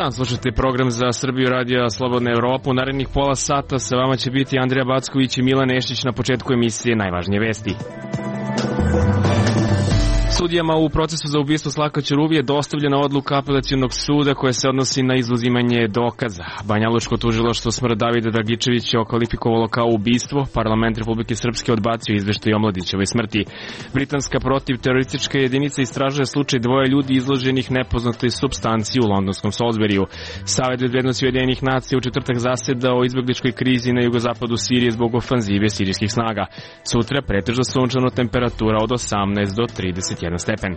Dan, slušajte program za Srbiju radija Slobodna Evropa. U narednih pola sata sa vama će biti Andrija Backović i Milan Nešić. Na početku emisije najvažnije vesti. Sudijama u procesu za ubistvo Slavka Ćuruvije dostavljena odluka apelacionog suda koja se odnosi na izuzimanje dokaza. Banjalučko tužilaštvo smrt Davida Dragičevića okvalifikovalo kao ubistvo. Parlament Republike Srpske odbacio izveštaj o Mladićevoj smrti. Britanska protivteroristička jedinica istražuje slučaj dvoje ljudi izloženih nepoznatoj supstanciji u londonskom Salisburyu. Savet bezbednosti Ujedinjenih nacija u četvrtak zaseda o izbegličkoj krizi na jugozapadu Sirije zbog ofanzive sirijskih snaga. Sutra pretežno sunčano, temperatura od 18 do 31 stepen.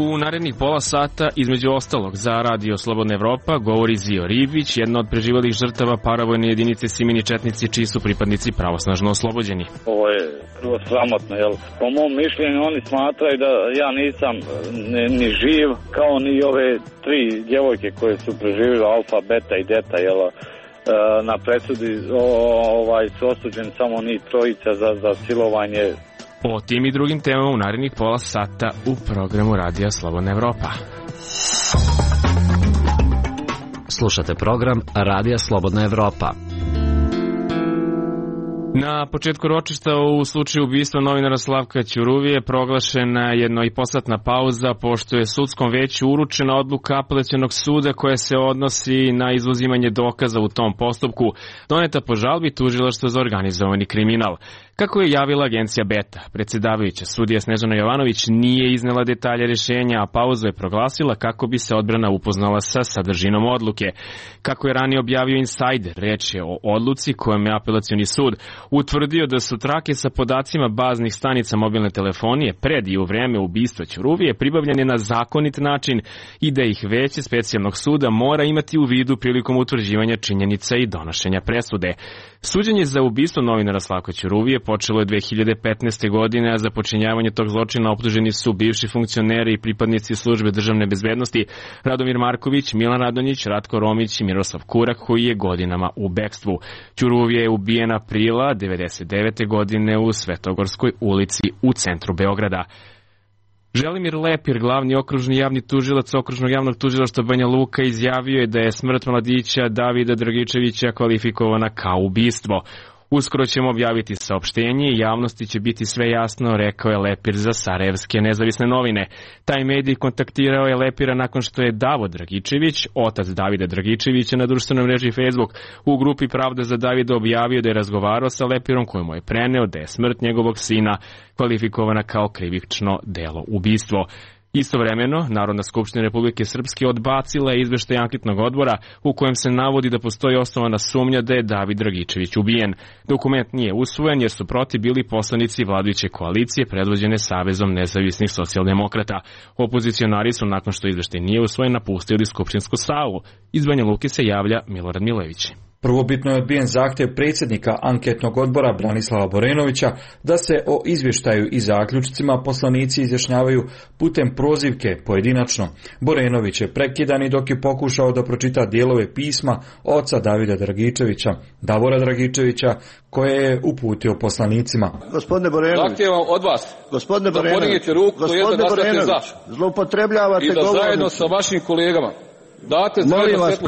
U narednih pola sata, između ostalog, za Radio Slobodna Evropa govori Zio Ribić, jedna od preživalih žrtava paravojne jedinice Simini četnici, čiji su pripadnici pravosnažno oslobođeni. Ovo je prvo sramotno, jel? Po mom mišljenju oni smatraju da ja nisam ni živ, kao ni ove tri djevojke koje su preživjeli, alfa, beta i deta, jel? Na presudi su osuđeni samo ni trojica za silovanje. O tim i drugim temama u narednih pola sata u programu Radija Slobodna Evropa. Slušate program Radija Slobodna Evropa. Na početku ročišta u slučaju ubistva novinara Slavka Ćuruvije proglašena jednoiposatna pauza, pošto je sudskom veću uručena odluka apelacionog suda koja se odnosi na izuzimanje dokaza u tom postupku, doneta po žalbi tužilaštva za organizovani kriminal. Kako je javila agencija Beta, predsjedavajuća sudija Snežana Jovanović nije iznela detalje rješenja, a pauzu je proglasila kako bi se odbrana upoznala sa sadržinom odluke. Kako je ranije objavio Insider, reč je o odluci kojom je apelacioni sud utvrdio da su trake sa podacima baznih stanica mobilne telefonije pred i u vreme ubistva Ćuruvije pribavljene na zakonit način i da ih veće specijalnog suda mora imati u vidu prilikom utvrđivanja činjenica i donošenja presude. Suđenje za ubistvo novinara Slavka Ćuruvije počelo je 2015. godine, a za počinjavanje tog zločina optuženi su bivši funkcioneri i pripadnici službe državne bezbednosti Radomir Marković, Milan Radonjić, Ratko Romić i Miroslav Kurak, koji je godinama u bekstvu. Ćuruvije je ubijen aprila 1999. godine u Svetogorskoj ulici u centru Beograda. Želimir Lepir, glavni okružni javni tužilac Okružnog javnog tužilaštva Banja Luka, izjavio je da je smrt mladića Davida Dragičevića kvalifikovana kao ubistvo. Uskoro ćemo objaviti saopštenje i javnosti će biti sve jasno, rekao je Lepir za Sarajevske nezavisne novine. Taj medij kontaktirao je Lepira nakon što je Davo Dragičević, otac Davida Dragičevića, na društvenoj mreži Facebook u grupi Pravda za Davida objavio da je razgovarao sa Lepirom koji mu je preneo da je smrt njegovog sina kvalifikovana kao krivično delo ubistvo. Istovremeno, Narodna skupština Republike Srpske odbacila je izveštaj anketnog odbora u kojem se navodi da postoji osnovana sumnja da je David Dragičević ubijen. Dokument nije usvojen jer su protiv bili poslanici vladajuće koalicije predvođene Savezom nezavisnih socijaldemokrata. Opozicionari su, nakon što izveštaj nije usvojen, napustili skupštinsku salu. Iz Banja Luke se javlja Milorad Milević. Prvobitno je odbijen zahtjev predsjednika anketnog odbora Branislava Borenovića da se o izvještaju i zaključcima poslanici izjašnjavaju putem prozivke pojedinačno. Borenović je prekidan i dok je pokušao da pročita dijelove pisma oca Davida Dragičevića, Davora Dragičevića, koje je uputio poslanicima. Gospodine Borenović, zahtijevam od vas gospodine da podignete ruku, to je da glasate za. Zloupotrebljavate i da zajedno sa vašim kolegama date molim vas,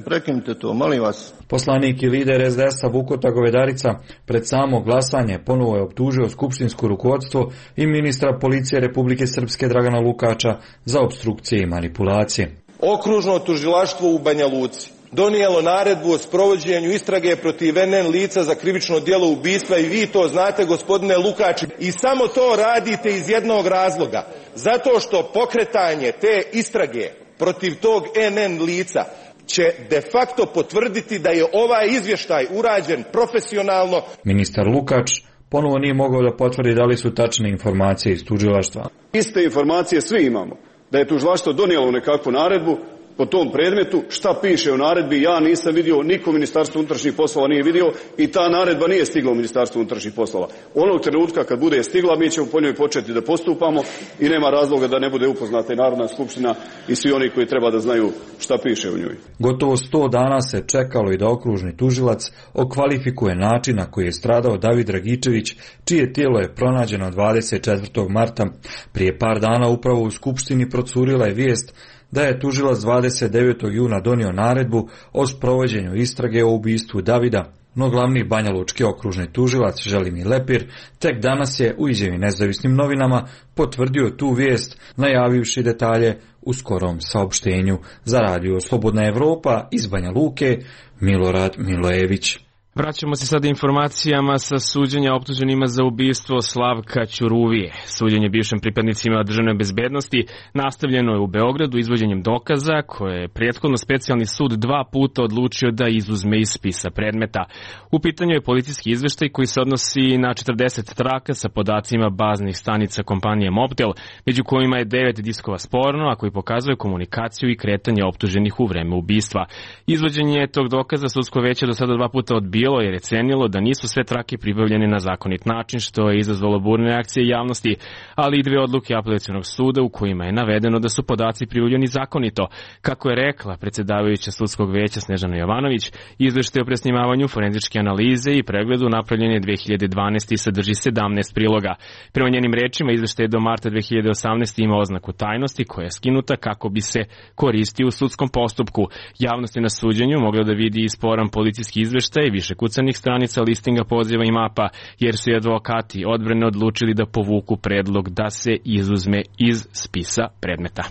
prekinite to, molim vas. Poslanik i lider SDS-a Vukota Govedarica pred samo glasanje ponovo je optužio skupštinsko rukovodstvo i ministra policije Republike Srpske Dragana Lukača za opstrukcije i manipulacije. Okružno tužilaštvo u Banja Luci donijelo naredbu o sprovođenju istrage protiv NN lica za krivično djelo ubistva i vi to znate, gospodine Lukač, i samo to radite iz jednog razloga, zato što pokretanje te istrage protiv tog NN lica će de facto potvrditi da je ovaj izvještaj urađen profesionalno. Ministar Lukač ponovo nije mogao da potvrdi da li su tačne informacije iz tužilaštva. Iste informacije svi imamo, da je tužilaštvo donijelo nekakvu naredbu, po tom predmetu, šta piše u naredbi, ja nisam vidio, niko Ministarstvo unutrašnjih poslova nije vidio i ta naredba nije stigla u Ministarstvo unutrašnjih poslova. Onog trenutka kad bude stigla, mi ćemo po njoj početi da postupamo i nema razloga da ne bude upoznata i Narodna skupština i svi oni koji treba da znaju šta piše u njoj. Gotovo 100 dana se čekalo i da okružni tužilac okvalifikuje način na koji je stradao David Dragičević, čije tijelo je pronađeno 24. marta. Prije par dana upravo u Skupštini procurila je vijest da je tužilac 29. juna donio naredbu o sprovođenju istrage o ubistvu Davida, no glavni banjalučki okružni tužilac Želimir Lepir tek danas je u izjavi Nezavisnim novinama potvrdio tu vijest, najavivši detalje u skorom saopštenju. Za radio Slobodna Evropa iz Banja Luke, Milorad Milojević. Vraćamo se sada informacijama sa suđenja optuženima za ubistvo Slavka Ćuruvije. Suđenje bivšim pripadnicima državne bezbednosti nastavljeno je u Beogradu izvođenjem dokaza koje je prethodno specijalni sud 2 puta odlučio da izuzme iz spisa predmeta. U pitanju je policijski izveštaj koji se odnosi na 40 traka sa podacima baznih stanica kompanije Mobtel, među kojima je 9 diskova sporno, a koji pokazuje komunikaciju i kretanje optuženih u vreme ubistva. Izvođenje tog dokaza sudsko veće do sada 2 puta odbilo jer je cenilo da nisu sve trake pribavljene na zakonit način, što je izazvalo burne reakcije javnosti, ali i 2 odluke apelacionog suda u kojima je navedeno da su podaci pribavljeni zakonito. Kako je rekla predsjedavajuća sudskog veća Snežana Jovanović, izveštaj o presnimavanju forenzičke analize i pregledu napravljen je 2012. i sadrži 17 priloga. Prema njenim rečima, izveštaj do marta 2018. ima oznaku tajnosti koja je skinuta kako bi se koristio u sudskom postupku. Javnost je na suđenju mogla da vidi i sporan policijski izveštaj više kucanih stranica listinga poziva i mapa, jer su i advokati odbrane odlučili da povuku predlog da se izuzme iz spisa predmeta.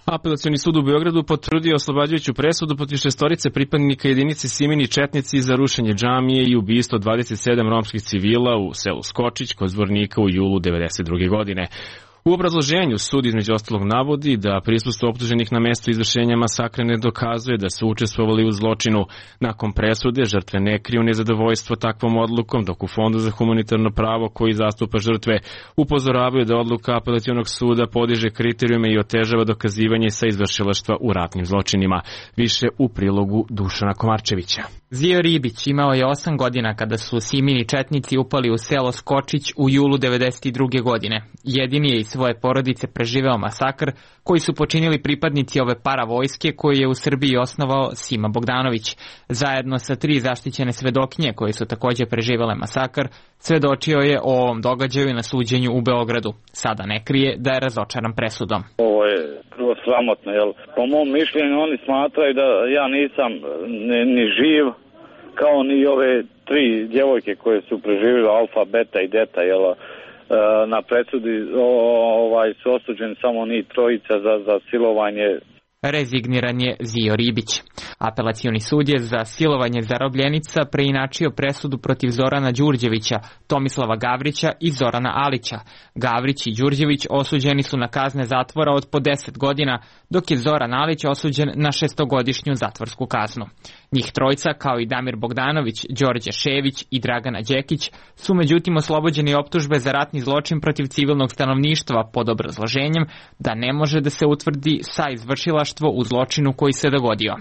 Apelacioni sud u Beogradu potvrdio oslobađajuću presudu protiv 6 pripadnika jedinice Simini Četnici za rušenje džamije i ubistvo 27 romskih civila u selu Skočić kod Zvornika u julu 1992. godine. U obrazloženju sud između ostalog navodi da prisustvo optuženih na mestu izvršenja masakra ne dokazuje da su učestvovali u zločinu. Nakon presude žrtve ne kriju nezadovoljstvo takvom odlukom, dok u Fondu za humanitarno pravo koji zastupa žrtve upozoravaju da odluka apelacionog suda podiže kriterijume i otežava dokazivanje sa izvršilaštva u ratnim zločinima. Više u prilogu Dušana Komarčevića. Zio Ribić imao je 8 godina kada su Simini Četnici upali u selo Skočić u julu 1992. godine. Jedini je iz svoje porodice preživeo masakr koji su počinili pripadnici ove paravojske koji je u Srbiji osnovao Sima Bogdanović. Zajedno sa 3 zaštićene svedokinje koje su također preživele masakr, svedočio je o ovom događaju na suđenju u Beogradu. Sada ne krije da je razočaran presudom. Ovo je prvo sramotno, jer po mom mišljenju oni smatraju da ja nisam ni živ, kao ni ove 3 djevojke koje su preživjele alfa, beta i deta, jel? Na presudi su osuđeni samo ni 3 za silovanje. Rezigniran je Zio Ribić. Apelacioni sud je za silovanje zarobljenica preinačio presudu protiv Zorana Đurđevića, Tomislava Gavrića i Zorana Alića. Gavrić i Đurđević osuđeni su na kazne zatvora od po 10 godina, dok je Zoran Alić osuđen na 6-godišnju zatvorsku kaznu. Njih 3, kao i Damir Bogdanović, Đorđe Šević i Dragana Đekić, su međutim oslobođeni optužbe za ratni zločin protiv civilnog stanovništva pod obrazloženjem da ne može da se utvrdi saizvršilaštvo u zločinu koji se dogodio.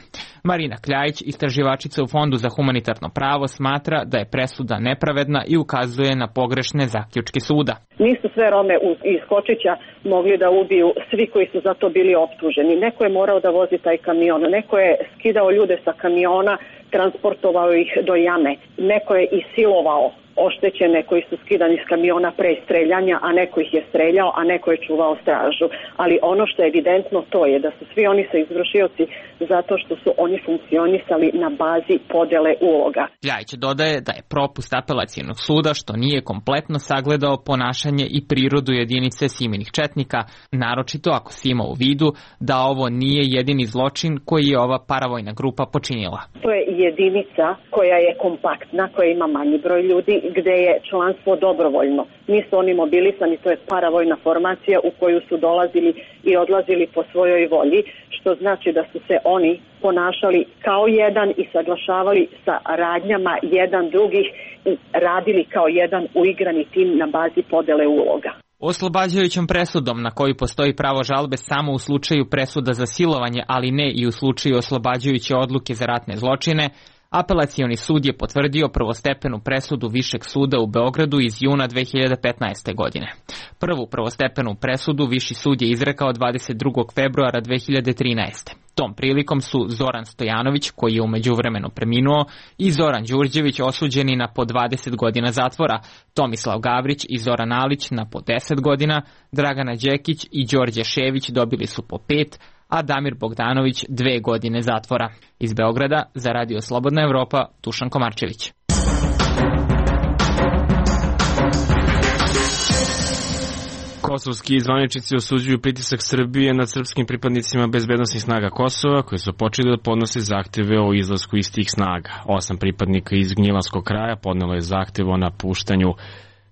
Marina Kljajić, istraživačica u Fondu za humanitarno pravo, smatra da je presuda nepravedna i ukazuje na pogrešne zaključke suda. Nisu sve Rome iz Skočića mogli da ubiju svi koji su za to bili optuženi. Neko je morao da vozi taj kamion, neko je skidao ljude sa kamiona, transportovao ih do jame, neko je i silovao oštećene koji su skidani s kamiona pre streljanja, a neko ih je streljao, a neko je čuvao stražu. Ali ono što je evidentno to je da su svi oni sa izvršioci zato što su oni funkcionisali na bazi podele uloga. Ljajić dodaje da je propust apelacijonog suda što nije kompletno sagledao ponašanje i prirodu jedinice Siminih četnika, naročito ako se ima u vidu da ovo nije jedini zločin koji je ova paravojna grupa počinila. To je jedinica koja je kompaktna, koja ima manji broj ljudi, gde je članstvo dobrovoljno. Nisu oni mobilisani, to je paravojna formacija u koju su dolazili i odlazili po svojoj volji, što znači da su se oni ponašali kao jedan i saglašavali sa radnjama jedan drugih i radili kao jedan uigrani tim na bazi podele uloga. Oslobađajućom presudom na koju postoji pravo žalbe samo u slučaju presuda za silovanje, ali ne i u slučaju oslobađajuće odluke za ratne zločine, Apelacioni sud je potvrdio prvostepenu presudu Višeg suda u Beogradu iz juna 2015. godine. Prvu prvostepenu presudu Viši sud je izrekao 22. februara 2013. Tom prilikom su Zoran Stojanović, koji je u međuvremenu preminuo, i Zoran Đurđević osuđeni na po 20 godina zatvora, Tomislav Gavrić i Zoran Alić na po 10 godina, Dragana Đekić i Đorđe Šević dobili su po 5, a Damir Bogdanović 2 godine zatvora. Iz Beograda za Radio Slobodna Evropa, Dušan Komarčević. Kosovski zvaničnici osuđuju pritisak Srbije nad srpskim pripadnicima bezbednosnih snaga Kosova, koji su počeli da podnose zahteve o izlasku iz tih snaga. 8 pripadnika iz Gnjilanskog kraja podnelo je zahtev o napuštanju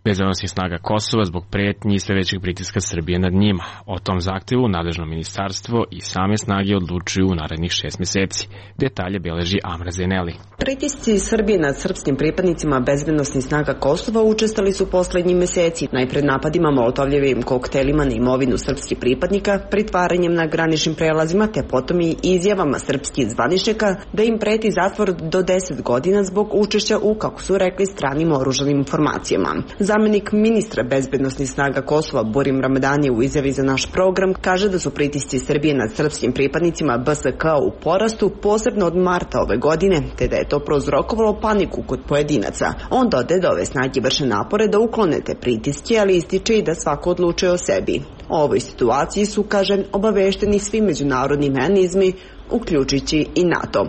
bezbednosnih snaga Kosova zbog pretnji i sve većeg pritiska Srbije nad njima. O tom zahtevu nadležno ministarstvo i same snage odlučuju u narednih 6 meseci. Detalje beleži Amra Zeneli. Pritisci Srbije nad srpskim pripadnicima bezbednosnih snaga Kosova učestali su poslednjih meseci, najpred napadima molotovljevim koktelima na imovinu srpskih pripadnika, pritvaranjem na graničnim prelazima, te potom i izjavama srpskih zvaničnika da im preti zatvor do 10 godina zbog učešća u, kako su rekli, stranim oružanim formacijama. Zamenik ministra bezbednosnih snaga Kosova Burim Ramadani u izjavi za naš program kaže da su pritisci Srbije nad srpskim pripadnicima BSK u porastu, posebno od marta ove godine, te da je to prouzrokovalo paniku kod pojedinaca. On dodaje da ove snage vrše napore da uklone te pritiske, ali ističe i da svako odlučuje o sebi. O ovoj situaciji su, kaže, obavešteni svi međunarodni mehanizmi, uključujući i NATO.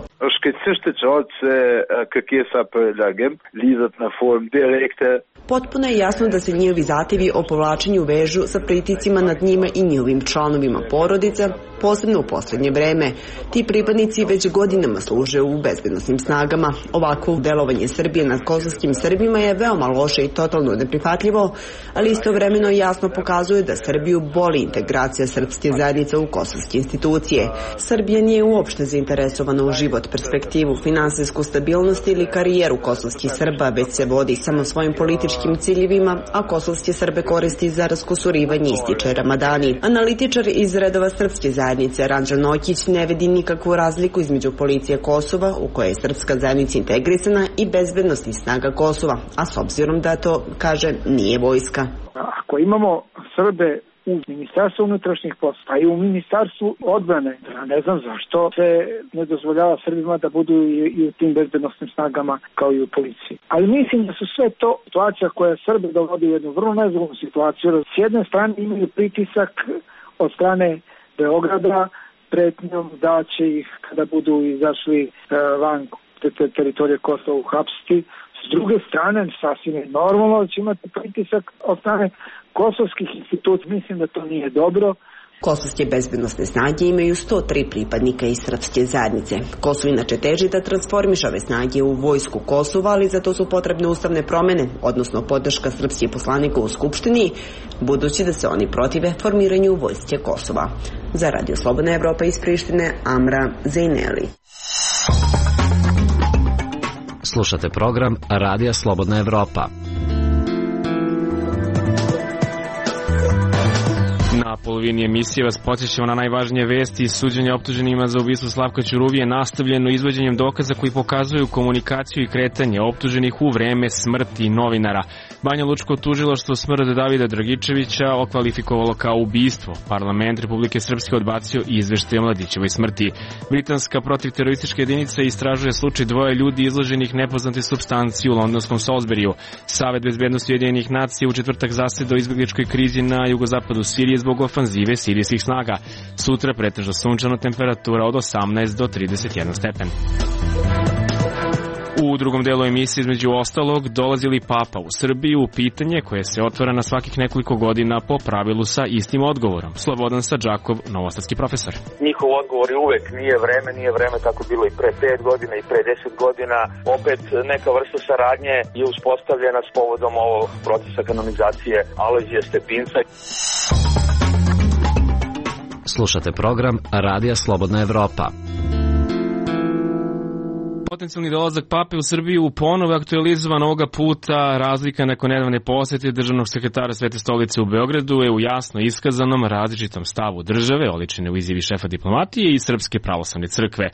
Potpuno je jasno da se njihovi zahtevi o povlačenju vežu sa pritiscima nad njima i njihovim članovima porodica, posebno u posljednje vreme. Ti pripadnici već godinama služe u bezbednosnim snagama. Ovako delovanje Srbije nad kosovskim Srbima je veoma loše i totalno neprihvatljivo, ali istovremeno jasno pokazuje da Srbiju boli integracija srpske zajednice u kosovske institucije. Srbija nije uopšte zainteresovana u život, perspektivu, finansijsku stabilnost ili karijeru kosovskih Srba, već se vodi samo svojim političkim ciljevima, a kosovske Srbe koristi za raskusurivanje, ističe Ramadani. Analitičar iz redova srpske zajednice Ranđa Nokić ne vidi nikakvu razliku između policije Kosova, u kojoj je srpska zajednica integrisana, i bezbednosnih snaga Kosova, a s obzirom da to, kaže, nije vojska. Ako imamo Srbe u Ministarstvu unutrašnjih poslova i u Ministarstvu odbrane, ne znam zašto se ne dozvoljava Srbima da budu i u tim bezbednosnim snagama kao i u policiji. Ali mislim da su sve to situacija koja Srbe dovodi u jednu vrlo nezgodnu situaciju. S jedne strane imaju pritisak od strane Beograda pretnjom da će ih, kada budu izašli van teritorije Kosova, uhapsiti. S druge strane, sasvim je normalno da će imati pritisak od strane kosovskih institucija. Mislim da to nije dobro. Kosovske bezbednosne snage imaju 103 pripadnika iz srpske zajednice. Kosovo inače teži da transformiše ove snage u vojsku Kosova, ali za to su potrebne ustavne promene, odnosno podrška srpskih poslanika u Skupštini, budući da se oni protive formiranju vojske Kosova. Za Radio Slobodna Evropa iz Prištine, Amra Zejneli. Slušate program Radija Slobodna Evropa. Na polovini emisije vas podsjećamo na najvažnije vesti iz suđenja optuženima za ubistvo Slavka Ćuruvije, nastavljeno izvođenjem dokaza koji pokazuju komunikaciju i kretanje optuženih u vreme smrti novinara. Banja Lučko tužilaštvo smrt Davida Dragičevića okvalifikovalo kao ubistvo. Parlament Republike Srpske odbacio izveštaj o Mladićevoj smrti. Britanska protivteroristička jedinica istražuje slučaj 2 ljudi izloženih nepoznate supstanci u londonskom Salisburyu. Savet bezbednosti Ujedinjenih nacija u četvrtak zasedao o izbegličkoj krizi na jugozapadu Sirije zbog ofanzive sirijskih snaga. Sutra pretežno sunčano, temperatura od 18 do 31 stepen. U drugom delu emisije, između ostalog, dolazi li Papa u Srbiju, pitanje koje se otvara na svakih nekoliko godina po pravilu sa istim odgovorom. Slobodan Sadžakov, novosadski profesor. Njihov odgovor je uvek nije vreme, tako bilo i pre 5 godina i pre 10 godina. Opet neka vrsta saradnje je uspostavljena s povodom ovog procesa kanonizacije Alojzija Stepinca. Slušate program Radija Slobodna Evropa. Potencijalni dolazak pape u Srbiju ponovo je aktualizovan ovoga puta. Razlika nakon nedavne posete državnog sekretara Svete stolice u Beogradu je u jasno iskazanom različitom stavu države, oličene u izjavi šefa diplomatije i Srpske pravoslavne crkve.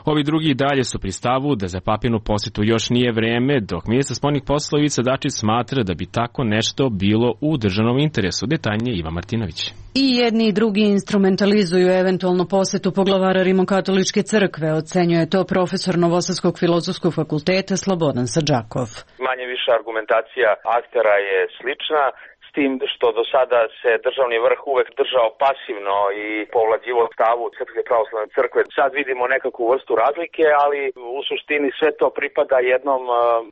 Ovi drugi i dalje su pri stavu da za papinu posetu još nije vreme, dok ministar spoljnih poslova Ivica Dačić smatra da bi tako nešto bilo u državnom interesu. Detaljnije Iva Martinović. I jedni i drugi instrumentalizuju eventualnu posetu poglavara Rimokatoličke crkve, ocenjuje to profesor Novosadskog filozofskog fakulteta Slobodan Sadžakov. Manje više argumentacija aktera je slična, s tim što do sada se državni vrh uvek držao pasivno i povlađivo stavu Srpske pravoslavne crkve. Sad vidimo nekakvu vrstu razlike, ali u suštini sve to pripada jednom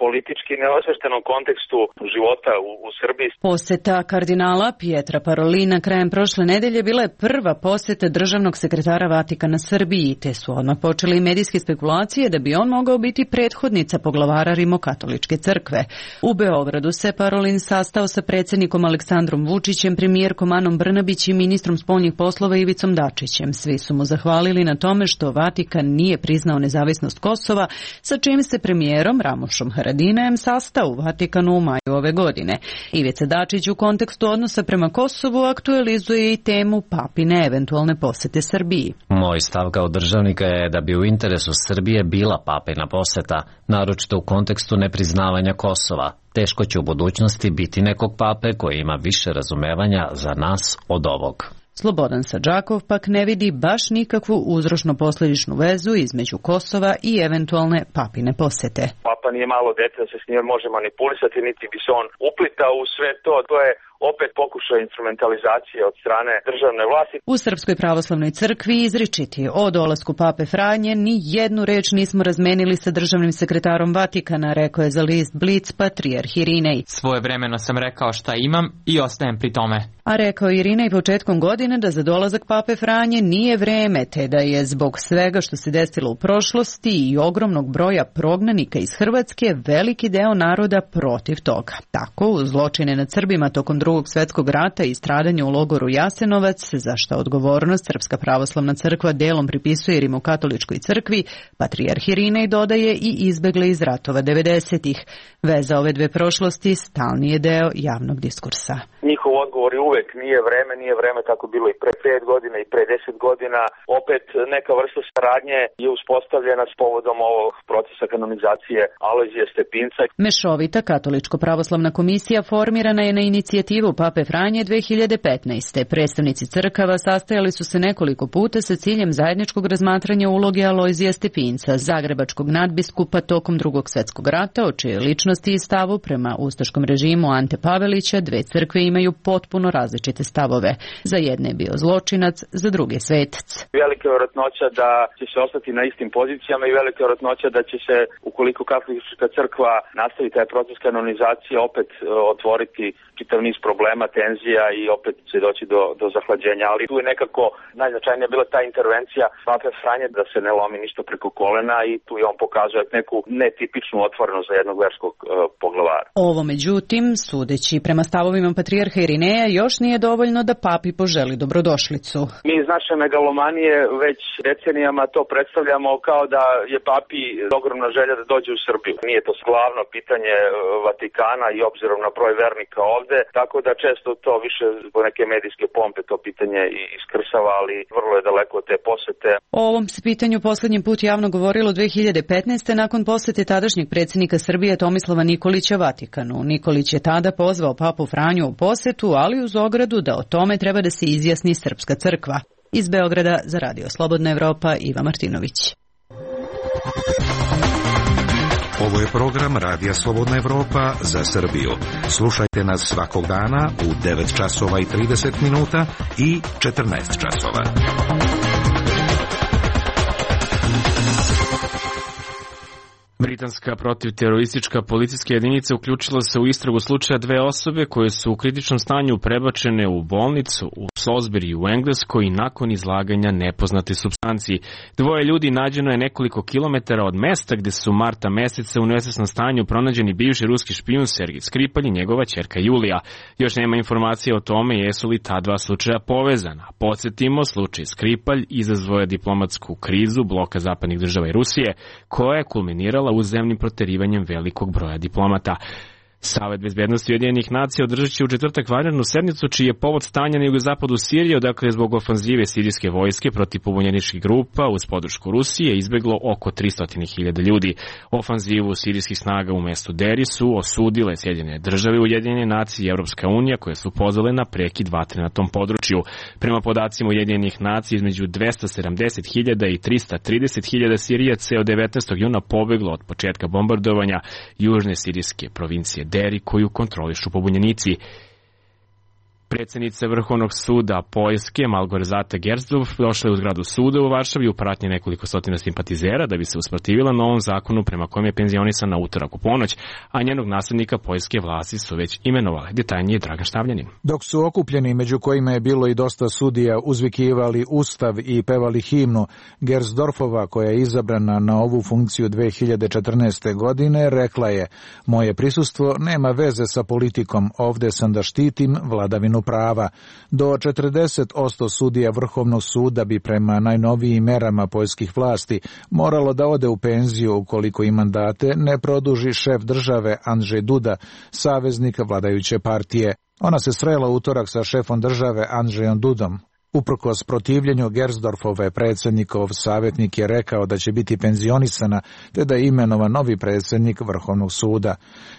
politički neosveštenom kontekstu života u Srbiji. Poseta kardinala Pietra Parolina krajem prošle nedelje bila je prva poseta državnog sekretara Vatikana Srbiji, te su odmah počeli i medijske spekulacije da bi on mogao biti prethodnica poglavara Rimokatoličke crkve. U Beogradu se Parolin sastao sa predsjednikom Aleksandrom Vučićem, premijerkom Anom Brnabić i ministrom spoljnih poslova Ivicom Dačićem. Svi su mu zahvalili na tome što Vatikan nije priznao nezavisnost Kosova, sa čim se premijerom Ramošom Haradinajem sastao u Vatikanu u maju ove godine. Ivica Dačić u kontekstu odnosa prema Kosovu aktualizuje i temu papine eventualne posete Srbiji. Moj stav kao državnika je da bi u interesu Srbije bila papina poseta, naročito u kontekstu nepriznavanja Kosova. Teško će u budućnosti biti nekog pape koji ima više razumevanja za nas od ovog. Slobodan Sadžakov pak ne vidi baš nikakvu uzročno-posljedičnu vezu između Kosova i eventualne papine posete. Papa nije malo dete da se s njim može manipulisati, niti bi se on uplitao u sve to. To je opet pokušaj instrumentalizacije od strane državne vlasti. U Srpskoj pravoslavnoj crkvi izričiti o dolasku pape Franje ni jednu reč nismo razmenili sa državnim sekretarom Vatikana, rekao je za list Blic patrijarh Irinej. Svojevremeno sam rekao šta imam i ostajem pri tome. A rekao Irinej početkom godine da za dolazak pape Franje nije vreme, te da je zbog svega što se desilo u prošlosti i ogromnog broja prognanika iz Hrvatske veliki deo naroda protiv toga. Tako, uz zločine nad Srbima tokom Drugog svjetskog rata i stradanje u logoru Jasenovac, za što odgovornost Srpska pravoslavna crkva delom pripisuje Rimokatoličkoj crkvi, patrijarh Irinej dodaje i izbegle iz ratova 90-ih. Veza ove dve prošlosti stalni je deo javnog diskursa. Njihov odgovor je uvek nije vreme, tako bilo i pre 5 godina i pre 10 godina. Opet neka vrsta saradnje je uspostavljena s povodom ovog procesa kanonizacije Alojzija Stepinca. Mešovita katoličko-pravoslavna komisija formirana je na inicijativu pape Franje 2015. Predstavnici crkava sastajali su se nekoliko puta sa ciljem zajedničkog razmatranja uloge Alojzija Stepinca, zagrebačkog nadbiskupa tokom Drugog svjetskog rata, o čijoj ličnosti i stavu prema ustaškom režimu Ante Pavelića dve crkve imaju potpuno različite stavove. Za jedne je bio zločinac, za druge svetac. Velika je vjerojatnoća da će se ostati na istim pozicijama i velika je vjerojatnoća da će se, ukoliko katolička crkva nastavi taj proces kanonizacije, opet otvoriti čitav niz problema, tenzija i opet će doći do zahlađenja. Ali tu je nekako najznačajnija bila ta intervencija pape Franje da se ne lomi ništa preko kolena i tu je on pokazuje neku netipičnu otvorenost za jednog verskog poglavara. Ovo, međutim, sudeći prema stavovima patrijarha Irineja, još nije dovoljno da papi poželi dobrodošlicu. Mi iz naše megalomanije već decenijama to predstavljamo kao da je papi ogromna želja da dođe u Srbiju. Nije to glavno pitanje Vatikana i obzirom na broj vernika ovde, tako da često to više zbog neke medijske pompe to pitanje iskrsava, ali vrlo je daleko od te posete. O ovom se pitanju posljednji put javno govorilo 2015. nakon posete tadašnjeg predsjednika Srbije Tomislava Nikolića Vatikanu. Nikolić je tada pozvao papu Franju u posetu, ali uz ogradu da o tome treba da se izjasni Srpska crkva. Iz Beograda za Radio Slobodna Evropa, Iva Martinović. Ovo je program Radija Slobodna Evropa za Srbiju. Slušajte nas svakog dana u 9 časova i 30 minuta i 14 časova. Britanska protivteroristička policijska jedinica uključila se u istragu slučaja dve osobe koje su u kritičnom stanju prebačene u bolnicu u Salisbury u Engleskoj nakon izlaganja nepoznate supstanciji. Dvoje ljudi nađeno je nekoliko kilometara od mesta gde su marta meseca u nesvesnom stanju pronađeni bivši ruski špijun Sergej Skripalj i njegova ćerka Julija. Još nema informacije o tome jesu li ta dva slučaja povezana. Podsjetimo, slučaj Skripalj izazvao je diplomatsku krizu bloka zapadnih država i Rusije, koja je kulminirala uzajamnim proterivanjem velikog broja diplomata. Savet bezbednosti Ujedinjenih nacija održat će u četvrtak vanrednu sednicu, čiji je povod stanja na jugozapadu Sirije, odakle zbog ofanzive sirijske vojske protiv pobunjeničkih grupa uz podršku Rusije izbeglo oko 300.000 ljudi. Ofanzivu sirijskih snaga u mestu Deri su osudile Sjedinjene države, Ujedinjene nacije i Evropska unija, koje su pozvale na prekid vatre na tom području. Prema podacima Ujedinjenih nacija, između 270.000 i 330.000 Sirijaca je od 19. juna pobeglo od početka bombardovanja južne sirijske provincije Deri, koju kontrolišu pobunjenici. Predsjednica Vrhovnog suda Poljske Malgorzata Gersdorf došla je u zgradu suda u Varšavi u pratnji nekoliko stotina simpatizera da bi se usprotivila novom zakonu prema kojem je penzionisan na utorak u ponoć, a njenog naslednika poljske vlasti su već imenovale. Detaljnije Dragan Štavljanin. Dok su okupljeni, među kojima je bilo i dosta sudija, uzvikivali ustav i pevali himnu, Gersdorfova, koja je izabrana na ovu funkciju 2014. godine, rekla je: moje prisustvo nema veze sa politikom, ovde sam da štitim vladavinu prava. Do 40% sudija Vrhovnog suda bi prema najnovijim merama poljskih vlasti moralo da ode u penziju ukoliko im mandate ne produži šef države Andrzej Duda, saveznik vladajuće partije. Ona se srela utorak sa šefom države Andrzejom Dudom. Uprkos protivljenju Gersdorfove, predsjednikov savjetnik je rekao da će biti penzionisana te da je imenovan novi predsjednik Vrhovnog suda.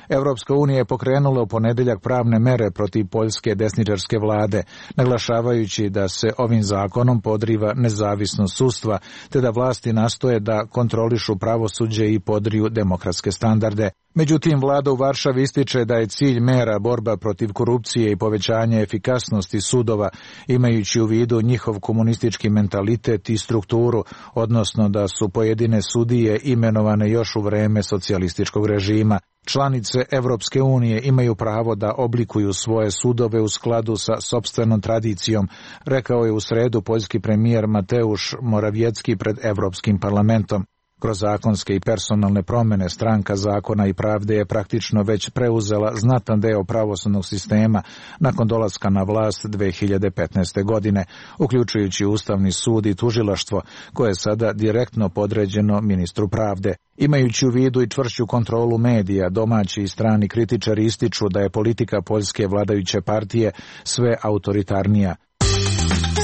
Evropska unija je pokrenula u ponedeljak pravne mere protiv poljske desničarske vlade, naglašavajući da se ovim zakonom podriva nezavisnost sudstva te da vlasti nastoje da kontrolišu pravosuđe i podriju demokratske standarde. Međutim, vlada u Varšavi ističe da je cilj mera borba protiv korupcije i povećanje efikasnosti sudova, imajući u vidu njihov komunistički mentalitet i strukturu, odnosno da su pojedine sudije imenovane još u vreme socijalističkog režima. Članice Evropske unije imaju pravo da oblikuju svoje sudove u skladu sa sopstvenom tradicijom, rekao je u sredu poljski premijer Mateusz Morawiecki pred Evropskim parlamentom. Kroz zakonske i personalne promjene Stranka zakona i pravde je praktično već preuzela znatan deo pravosudnog sistema nakon dolaska na vlast 2015. godine, uključujući Ustavni sud i tužilaštvo, koje je sada direktno podređeno ministru pravde. Imajući u vidu i čvršću kontrolu medija, domaći i strani kritičari ističu da je politika poljske vladajuće partije sve autoritarnija.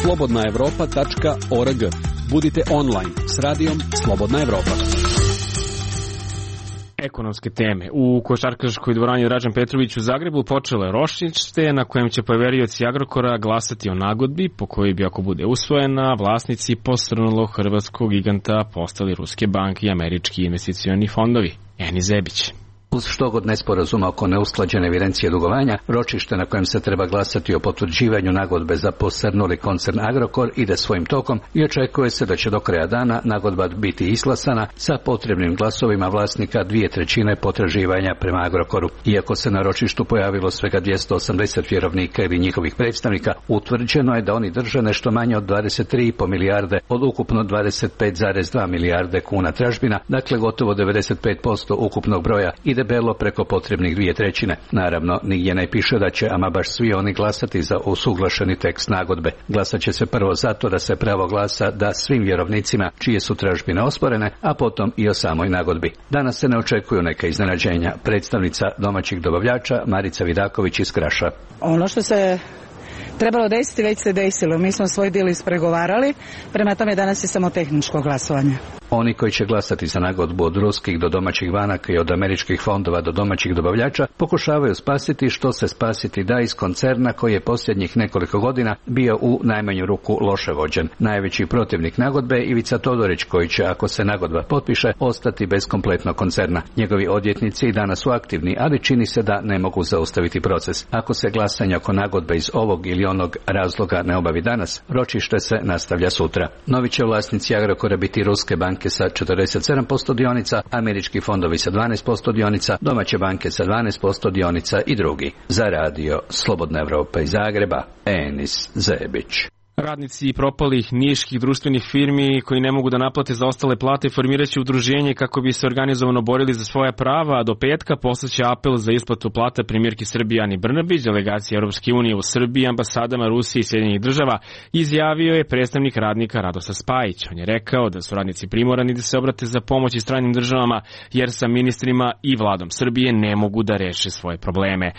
slobodnaevropa.org. Budite online s radijom Slobodna Evropa. Ekonomske teme. U košarkaškoj dvorani Dražen Petrović u Zagrebu počelo je ročište na kojem će poverioci Agrokora glasati o nagodbi po kojoj bi, ako bude usvojena, vlasnici posrnulog hrvatskog giganta postali ruske banke i američki investicioni fondovi. Eni Zebić. Uz štogod nesporazuma oko neusklađene evidencije dugovanja, ročište na kojem se treba glasati o potvrđivanju nagodbe za posrnuli koncern Agrokor ide svojim tokom i očekuje se da će do kraja dana nagodba biti izglasana sa potrebnim glasovima vlasnika 2/3 potraživanja prema Agrokoru. Iako se na ročištu pojavilo svega 280 vjerovnika ili njihovih predstavnika, utvrđeno je da oni drže nešto manje od 23,5 milijarde od ukupno 25,2 milijarde kuna tražbina, dakle gotovo 95% ukupnog broja i debelo preko potrebnih 2/3. Naravno, nigdje ne piše da će ama baš svi oni glasati za usuglašeni tekst nagodbe. Glasat će se prvo zato da se pravo glasa da svim vjerovnicima čije su tražbine osporene, a potom i o samoj nagodbi. Danas se ne očekuju neka iznenađenja. Predstavnica domaćih dobavljača Marica Vidaković iz Kraša. Ono što se trebalo desiti već se desilo. Mi smo svoj dio ispregovarali, prema tome danas je samo tehničko glasovanje. Oni koji će glasati za nagodbu od ruskih do domaćih banaka i od američkih fondova do domaćih dobavljača pokušavaju spasiti što se spasiti da iz koncerna koji je posljednjih nekoliko godina bio u najmanju ruku loše vođen. Najveći protivnik nagodbe je Ivica Todorić, koji će, ako se nagodba potpiše, ostati bez kompletnog koncerna. Njegovi odvjetnici i danas su aktivni, ali čini se da ne mogu zaustaviti proces. Ako se glasanje oko nagodbe iz ovog ili onog razloga ne obavi danas, ročište se nastavlja sutra. Novi će vlasnici Agrokora biti ruske banke banke sa 47% dionica, američki fondovi sa 12% dionica, domaće banke sa 12% dionica i drugi. Za radio Slobodna Evropa iz Zagreba, Enis Zebić. Radnici propalih niških društvenih firmi koji ne mogu da naplate zaostale plate formiraće udruženje kako bi se organizovano borili za svoja prava, a do petka poslaće apel za isplatu plata premijerki Srbije Ani Brnabić, delegacije Europske unije u Srbiji, ambasadama Rusije i Sjedinjenih država, izjavio je predstavnik radnika Radoslav Spajić. On je rekao da su radnici primorani da se obrate za pomoć i stranim državama, jer sa ministrima i vladom Srbije ne mogu da reše svoje probleme.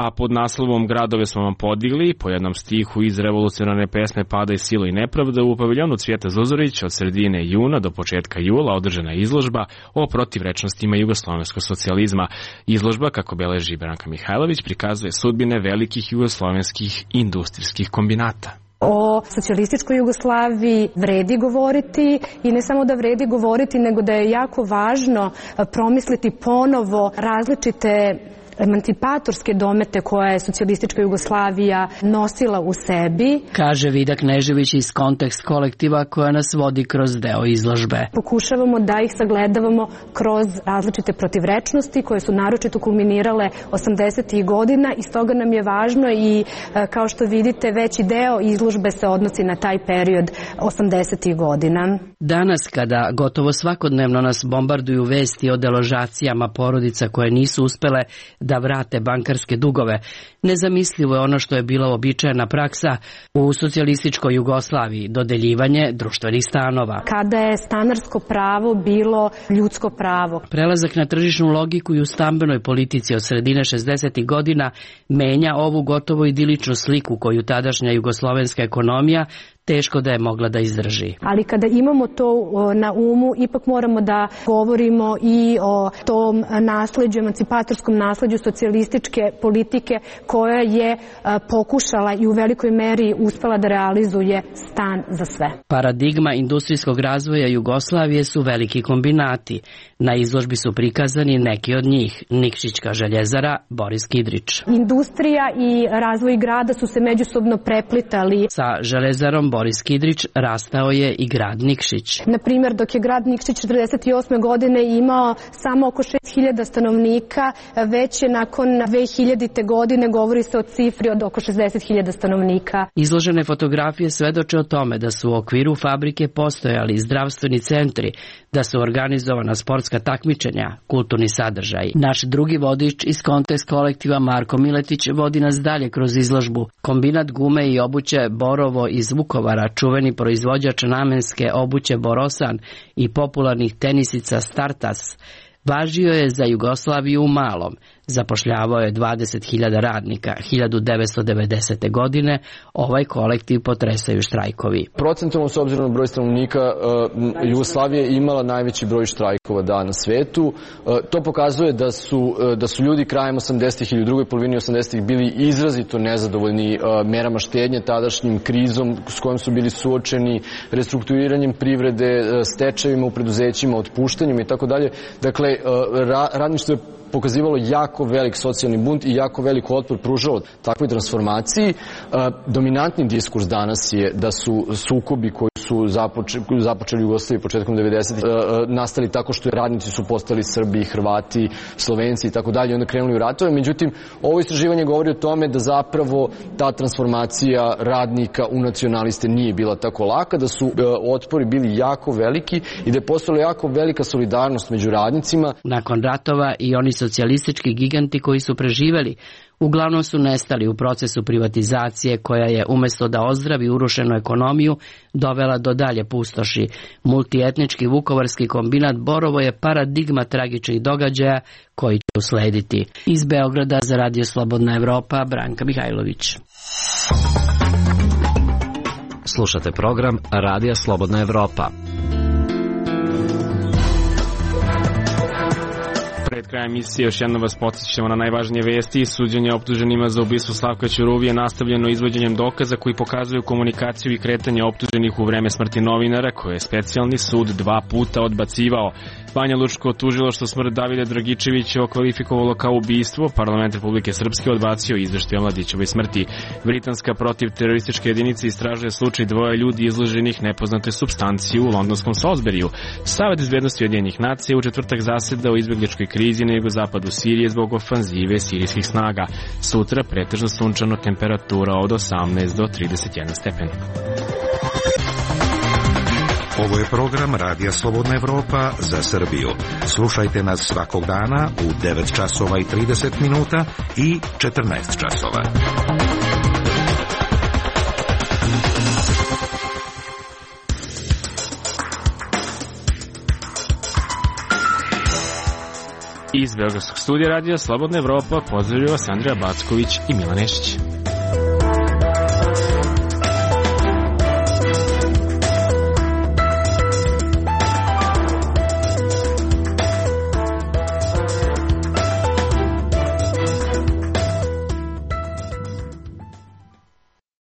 A pod naslovom Gradove smo vam podigli, po jednom stihu iz revolucionarne pesme Pada i silo i nepravda, u paviljonu Cvijeta Zuzorić od sredine juna do početka jula održana je izložba o protivrečnostima jugoslovenskog socijalizma. Izložba, kako beleži Branka Mihajlović, prikazuje sudbine velikih jugoslovenskih industrijskih kombinata. O socijalističkoj Jugoslaviji vredi govoriti i ne samo da vredi govoriti, nego da je jako važno promisliti ponovo različite emancipatorske domete koje je socijalistička Jugoslavija nosila u sebi. Kaže Vida Knežević iz Kontekst kolektiva koja nas vodi kroz deo izložbe. Pokušavamo da ih sagledavamo kroz različite protivrečnosti koje su naročito kulminirale 80. godina i stoga nam je važno i kao što vidite veći deo izložbe se odnosi na taj period 80. godina. Danas kada gotovo svakodnevno nas bombarduju vesti o deložacijama porodica koje nisu uspele da vrate bankarske dugove, nezamislivo je ono što je bila uobičajena praksa u socijalističkoj Jugoslaviji, dodeljivanje društvenih stanova. Kada je stanarsko pravo bilo ljudsko pravo. Prelazak na tržišnu logiku i u stambenoj politici od sredine 60. godina menja ovu gotovo idiličnu sliku koju tadašnja jugoslovenska ekonomija teško da je mogla da izdrži. Ali kada imamo to na umu, ipak moramo da govorimo i o tom nasleđu, emancipatorskom nasleđu socijalističke politike koja je pokušala i u velikoj meri uspela da realizuje stan za sve. Paradigma industrijskog razvoja Jugoslavije su veliki kombinati. Na izložbi su prikazani neki od njih. Nikšićka željezara, Boris Kidrić. Industrija i razvoj grada su se međusobno preplitali. Sa železarom Boris Kidrić rastao je i grad Nikšić. Na primjer, dok je grad Nikšić 48. godine imao samo oko 6000 stanovnika, već je nakon 2000. godine govori se o cifri od oko 60.000 stanovnika. Izložene fotografije svedoče o tome da su u okviru fabrike postojali zdravstveni centri, da su organizovana sportska takmičenja, kulturni sadržaj. Naš drugi vodič iz Kontekst kolektiva Marko Miletić vodi nas dalje kroz izložbu. Kombinat gume i obuće Borovo iz Vukovara, čuveni proizvođač namenske obuće Borosan i popularnih tenisica Startas, važio je za Jugoslaviju u malom. Zapošljavao je 20.000 radnika. 1990. godine ovaj kolektiv potresaju štrajkovi. Procentualno, s obzirom na broj stanovnika, Jugoslavija je imala najveći broj štrajkova na svetu. To pokazuje da su ljudi krajem 80-ih ili u drugoj polovini 80-ih bili izrazito nezadovoljni merama štednje, tadašnjim krizom s kojom su bili suočeni, restrukturiranjem privrede, stečajima u preduzećima, otpuštanjem i tako dalje. Dakle, radništvo je pokazivalo jako velik socijalni bunt i jako velik otpor pružao takvoj transformaciji. Dominantni diskurs danas je da su sukobi koji su započeli u Jugoslaviji početkom 90. nastali tako što radnici su postali Srbi, Hrvati, Slovenci i tako dalje, onda krenuli u ratove. Međutim, ovo istraživanje govori o tome da zapravo ta transformacija radnika u nacionaliste nije bila tako laka, da su otpori bili jako veliki i da je postojala jako velika solidarnost među radnicima. Nakon ratova i oni socijalistički giganti koji su preživeli uglavnom su nestali u procesu privatizacije koja je umjesto da ozdravi urušenu ekonomiju dovela do dalje pustoši. Multietnički vukovarski kombinat Borovo je paradigma tragičnih događaja koji će uslediti. Iz Beograda za Radio Slobodna Evropa, Branka Mihajlović. Slušate program Radija Slobodna Evropa. pred krajem emisije još jednom vas podsjećamo na najvažnije vesti. Suđenje optuženima za ubistvo Slavka Ćuruvije nastavljeno izvođenjem dokaza koji pokazuju komunikaciju i kretanje optuženih u vreme smrti novinara, koje je specijalni sud 2 puta odbacivao. Banja Lučko tužilaštvo smrt Davida Dragičevića okvalifikovalo kao ubistvo. Parlament Republike Srpske odbacio izveštaj o Mladićevoj smrti. Britanska protivteroristička jedinica istražuje slučaj 2 ljudi izloženih nepoznatoj supstanciji u londonskom Salisburyu. Savet bezbednosti Ujedinjenih nacija u četvrtak zaseda o izbegličkoj krizi na jugozapadu Sirije zbog ofanzive sirijskih snaga. Sutra pretežno sunčano, temperatura od 18 do 31 stepen. Ovo je program Radija Slobodna Evropa za Srbiju. Slušajte nas svakog dana u 9 časova i 30 minuta i 14 časova. Iz Beogradskog studija Radija Slobodna Evropa pozdravljaju vas Andreja Backović i Milan Nešić.